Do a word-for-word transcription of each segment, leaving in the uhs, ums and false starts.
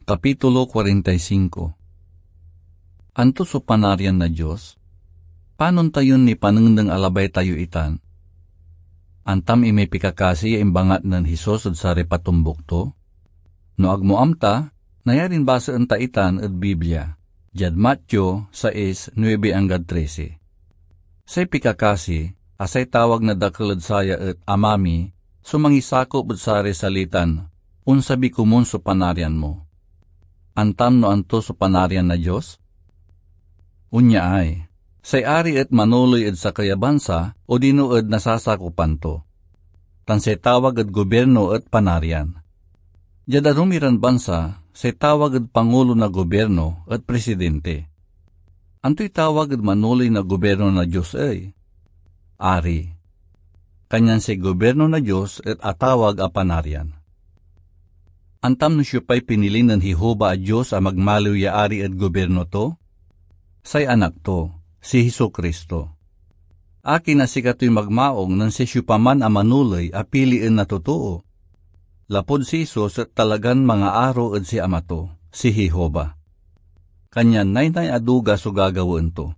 Kapitulo kuarenta y singko. Anto so Panarian na Dios? Panon tayon nipanengneng a labay tayo itan? Antam imay pikakasi ya imbangat nen Jesus ed saray patombuk to? No agmo amta, nayarin basaen ta itan ed Biblia, diad Mateo sais, nuebe anggad trese. Say pikakasi, a say tawag na dakel ed saya et Ama mi, so mangisakop ed saray salitan, "Onsabi komun so Panarian mo." Antam no anto so Panarian na Dios? Onyaay, say ari et manoley ed sakey a bansa odino ed nasasakopan to, tan say tawag ed gobirno et Panarian. Diad arum iran bansa, say tawag ed pangulo na gobirno et presidente. Antoy tawag ed manoley na gobirno na Dios ey? Ari. Kanyan say gobirno na Dios et atawag a Panarian. Antam no siopay pinili nen Jehovah a Dios a magmaliw ya ari ed gobirno to? Say Anak to, si Jesu-Cristo. Akin a sikatoy magmaong nen say siopaman a manoley a pilien na totoo? Lapud si Jesus et talagan mangaaro ed si Ama to, si Jehovah. Kanyan naynay a duga so gagawaen to.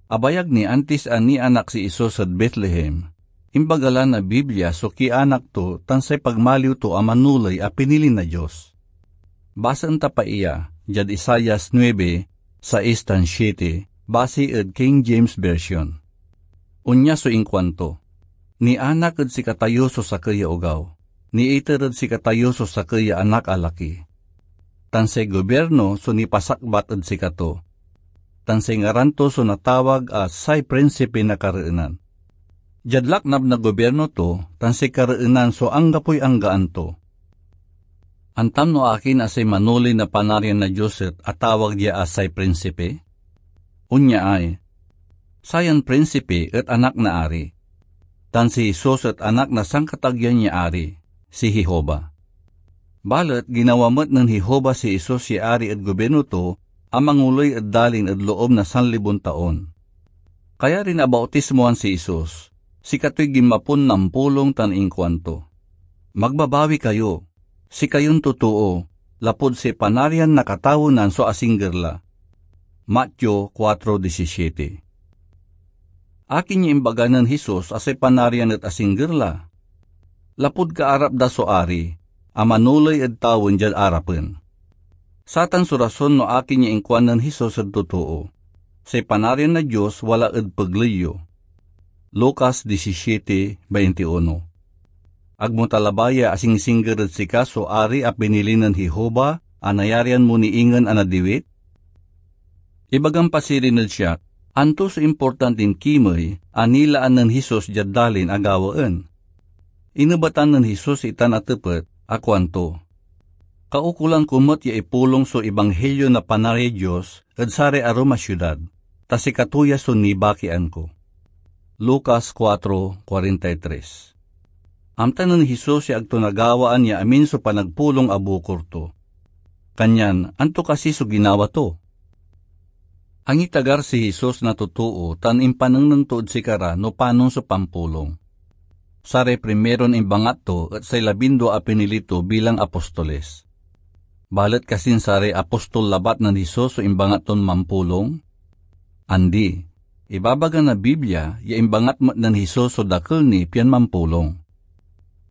Abayag ni antis a nianak si Jesus ed Betlehem, imbaga la na Biblia so kianak to tan say pagmaliw to a manoley a pinili na Dios. Basaen ta pa iya diad Isaias nuebe, sais tan siete, basi ed King James Version. Onya so inkuanto, "Nianak ed sikatayo so sakey ya ogaw, niiter ed sikatayo so sakey ya anak a laki. Tan say gobirno so nipasakbat ed sikato, tan say ngaran to so natawag a say Prinsipi na Kareenan." Diad laknab na gobirno to tan say kareenan so anggapoy anggaan to. Antam no akin a say manoley na Panarian na Dios et atawag dia a say Prinsipi? Onyaay, sayan Prinsipi et anak na ari, tan si Jesus et anak na Sankatageyan ya Ari, si Jehovah. Balet ginawa met nen Jehovah si Jesus ya ari ed gobirno to a mangoley ed dalin ed loob na sanlibon taon. Kayarin abautismoan si Jesus, sikatoy ginmapon nampulong tan inkuanto, "Magbabawi kayo, sikayon totoo, lapud say Panarian na katawenan so asingger la." Mateo kuatro disisiete. Akin ya imbaga nen Jesus a say Panarian et asingger la? Lapud kaarap da so Ari, a manoley ed tawen diad arapen. Satan so rason no akin ya inkuan nen Jesus ed totoo, "Say Panarian na Dios wala ed pegley yo." Lucas disisiete veintiuno. Agmo ta labay ya asingsingger ed sika so Ari a pinili nen Jehovah a nayarian mo ni ingen a nadiwit? Ibagam pa sirin ed siak, anto so importantin kimey a nilaan nen Jesus diad dalin a gawaen? Inebatan nen Jesus itan a tepet a kuanto, "Kaukolan ko met ya ipulong so Ibanghilyo na Panariay Dios ed saray arum a siudad, ta sikato ya so nibakian ko." Lucas kuatro kuarenta y tres. Amta nen Jesus ya ag to nagawaan ya amin so panagpulong a bukor to. Kanyan, anto kasi so ginawa to? Angitagar si Jesus na totoo tan impanengneng to ed sikara no panon so pampulong. Saray primeron imbangat to et say labindua a pinili to bilang apostoles. Balet kasin saray apostol labat nen Jesus so imbangat ton mampulong? Andi. Ibabaga na Biblia ya imbangat met nen Jesus so dakel ni pian mampulong.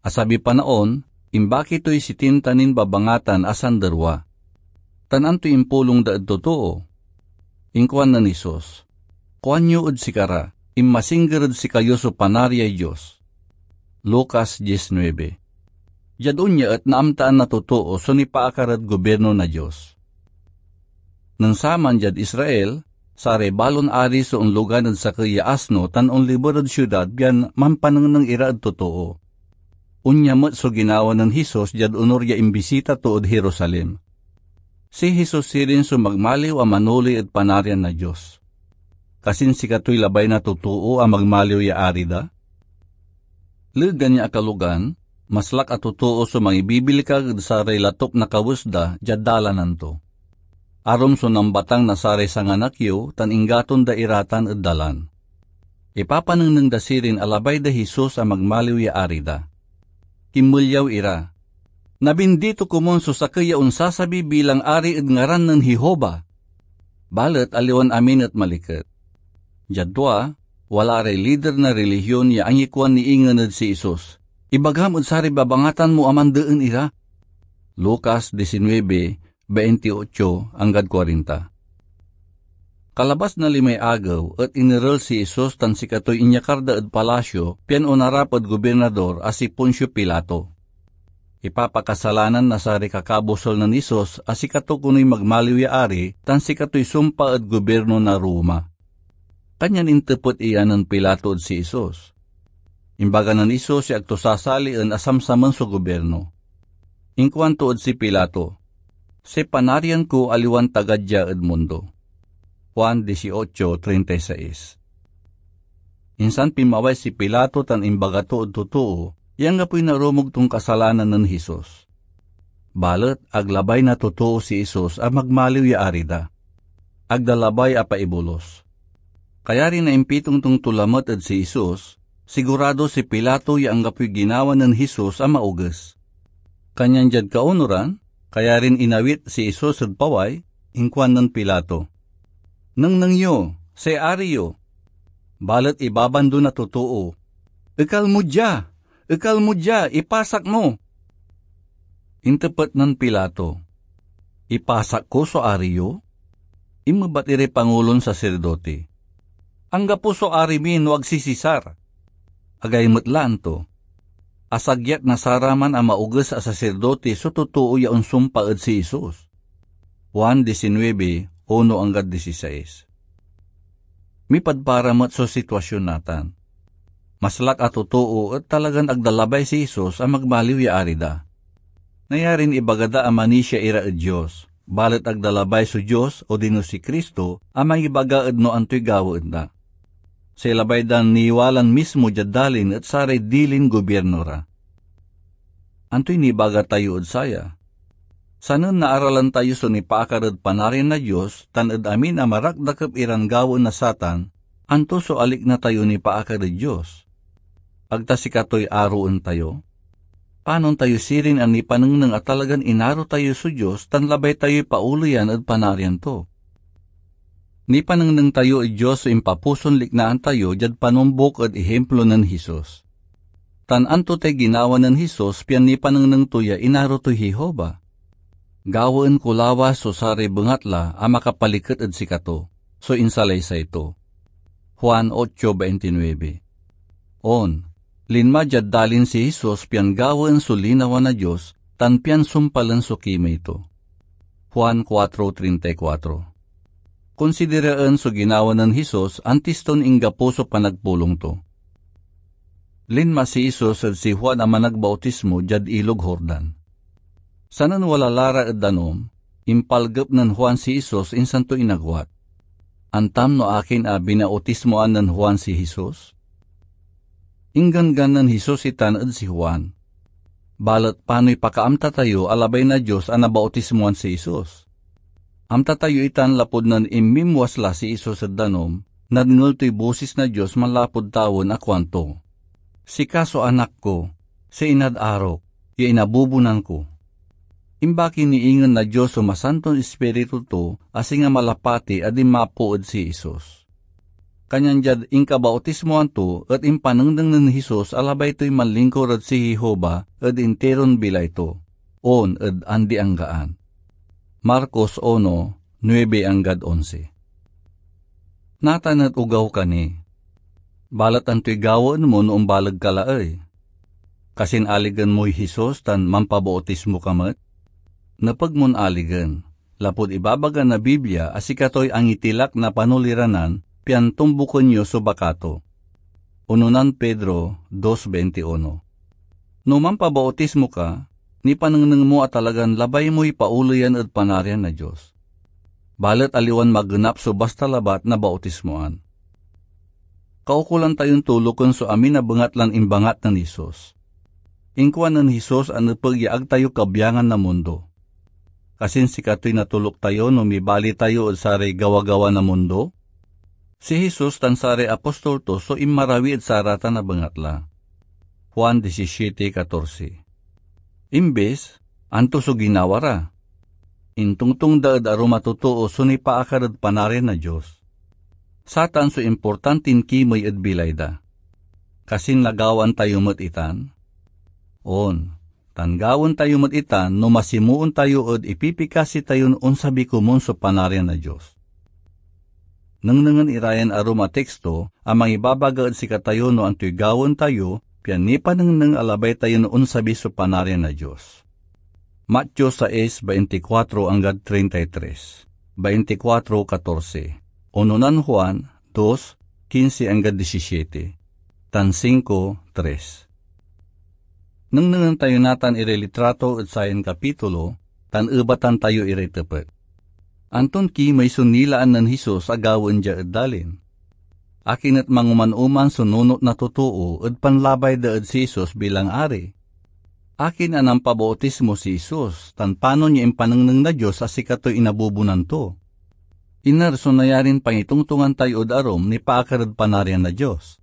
Asabiy panaon, imbaki toy sitinta nin babangatan a sanderwa. Tan antoy impulong da ed totoo? Inkuan nen Jesus, "Kuanyo ed sikara, 'Inmasingger ed sikayo so Panariay Dios.'" Lucas diecinuebe. Diad onya et naamtaan na totoo so nipaakar ed gobirno na Dios. Nen saman diad Israel, saray balon ari so onlogan ed sakey ya asno tan onliber ed siudad pian mampanengneng ira ed totoo. Onya met so ginawa nen Jesus diad onur ya imbisita to ed Jerusalem. Si Jesus sirin so magmaliw a manoley ed Panarian na Dios. Kasin sikatoy labay na totoo a magmaliw ya ari da? Legan ya akalogan, maslak a totoo so mangibibilkag ed saray latuk na kawes da diad dalanan to. Arum so nambatang na saray sanganak yo tan inggaton da ira tan ed dalan. Ipapanengneng da sirin a labay day Jesus a magmaliw ya ari da. Kinmelyaw ira. "Nabindito komun so sakey ya onsasabi bilang ari ed ngaran nen Jehovah." Balet aliwan amin et maliket. Diad tua, wala ray lider na relihion ya angikuan ni ingen ed si Jesus, "Ibagam ed saray babangatan mo a mandeen ira." Lucas diecinuebe, veintiocho anggad kuarenta. Kalabas na limay agew et inerel si Jesus tan sikatoy inyakar da ed palasio pian onarap ed gobirnador a si Poncio Pilato. Ipapakasalanan na saray kakabusel nen Jesus a sikato konoy magmaliw ya ari tan sikatoy sumpa ed gobirno na Roma. Kanyan intepet iya nen Pilato ed si Jesus. Imbaga nen Jesus ya ag to sasalien a samsamen so gobirno. Inkuanto ed si Pilato, "Say Panarian ko aliwan taga dia ed mundo." Juan dieciocho treinta y seis. Insan pinmaway si Pilato tan imbaga to ed totoo ya anggapoy narumog ton kasalanan nen Jesus. Balet ag labay na totoo si Jesus a magmaliw ya ari da. Ag da labay a paibolus. Kayari na impitongtong to lamet ed si Jesus, sigurado si Pilato ya anggapoy ginawa nen Jesus a maoges. Kanyan diad kaunoran, kayarin inawit si Jesus ed paway, inkuan nen Pilato, "Nengneng yo, say ari yo!" Balet ibabando na totoo, "Ekal mo dia! Ekal mo dia! Ipasak mo!" Intepet nen Pilato, "Ipasak ko so ari yo?" Inmebat iray pangulon saserdote, "Anggapo so ari mi no ag si Cesar." Agay met la anto, asagyat na saraman a maoges a saserdote so totoo ya onsumpa ed si Jesus. Juan diecinuebe, uno anggad dieciséis. Mipadpara met so sitwasion natan. Maslak a totoo et talagan ag da labay si Jesus a magmaliw ya ari da. Nayarin ibaga da a manisia ira ed Dios, balet ag da labay so Dios odino si Cristo a mangibaga ed no antoy gawaen da. Say labay dan niwalan mismo diad dalin et saray dilin gobirno ra. Antoy nibaga tayo ed saya? Sanen naaralan tayo so nipaakar ed Panarian na Dios tan ed amin a marakdakep iran gawaen na satan, anto so alikna tayo nipaakar ed Dios? Ag ta sikatoy aroen tayo? Panon tayo sirin a nipanengneng a talagan inaro tayo so Dios tan labay tayoy paoleyan ed Panarian to? Nipanengneng tayo ed Dios so impapuson liknaan tayo diad panumbok ed ihimplo nen Jesus. Tan anto tay ginawa nen Jesus pian nipanengneng to ya inaro toy Jehovah? "Gawaen ko lawas so saray bengatla a makapaliket ed sikato," so insalaysay to. Juan ocho veintinueve. On, linma diad dalin si Jesus pian gawaen so linawa na Dios tan pian sumpalen so kimey to. Juan cuatro treinta y cuatro. Konsideraen so ginawa nen Jesus antis ton inggapo so panagpulong to. Linma si Jesus ed si Juan a Managbautismo diad Ilog Jordan. Sanen wala la ra ed danum, impalgep nen Juan si Jesus insan to inagwat. Antam no akin a binautismoan nen Juan si Jesus? Ingganggan nen Jesus itan ed si Juan. Balet panoy pakaamta tayo a labay na Dios a nabautismoan si Jesus? Amta tayo itan lapud nen inmimwas la si Jesus ed danum, nadngel toy bosis na Dios manlapud tawen a kuanto, "Sika so Anak ko, say inad arok, ya inabubonan ko." Imbaki ni ingen na Dios so Masanton Ispiritu to a singa malapati a dinmapo ed si Jesus. Kanyan diad inkabautismoan to et impanengneng nen Jesus a labay toy manlingkur ed si Jehovah ed intiron bilay to, on ed andi-anggaan. Marcos uno, nuebe anggad onse. Natan et ogaw ka ni. Balet antoy gawaen mo no ombaleg ka laey? Kasin aligen moy Jesus tan mampabautismo ka met? Nepeg mon aligen, lapud ibabaga na Biblia a sikatoy angitilak na panoliranan pian tumboken yo so baka to. Unonan Pedro dos veintiuno. No mampabautismo ka, nipanengneng mo a talagan labay moy paoleyan ed Panarian na Dios. Balet aliwan magenap so basta labat na bautismoan. Kaukolan tayon toloken so amin a bengatlan imbangat nen Jesus. Inkuan nen Jesus a nepeg ya ag tayo kabiangan na mundo. Kasin sikatoy natoluk tayo no mibali tayo ed saray gawagawa na mundo? Si Jesus tan saray apostol to so inmarawi ed saratan a bengatla. Juan disisiete katorse. Imbes, Anto so ginawa ra? Intongtong da ed arum a totoo so nipaakar ed Panarian na Dios. Satan so importantin kimey ed bilay da. Kasin nagawaan tayo met itan? On, tan gawaen tayo met itan no masimoon tayo ed ipipikasi tayon onsabi komun so Panarian na Dios. Nengnengen ira yan arum a teksto a mangibabaga ed sikatayo no antoy gawaen tayo, pian nipanengneng a labay tayon onsabi so Panarian na Dios. Mateo sais, baintikwatro anggad trinta y tres, baintikwatro katorse, ononan Juan dos, kinse anggad disisiete, tan singko tres. Nengnengen tayo natan iray litrato ed sayan kapitulo, tan ebatan tayo iray tepet. Anton kimey so nilaan nen Jesus a gawaen dia ed dalin? Akin et mangoman-oman so nunot na totoo ed panlabay da ed si Jesus bilang Ari? Akin a nampabautismo si Jesus, tan panon ya impanengneng na Dios a sikatoy inabubonan to? Iner so nayarin pangitongtongan tayo ed arum nipaakar ed Panarian na Dios?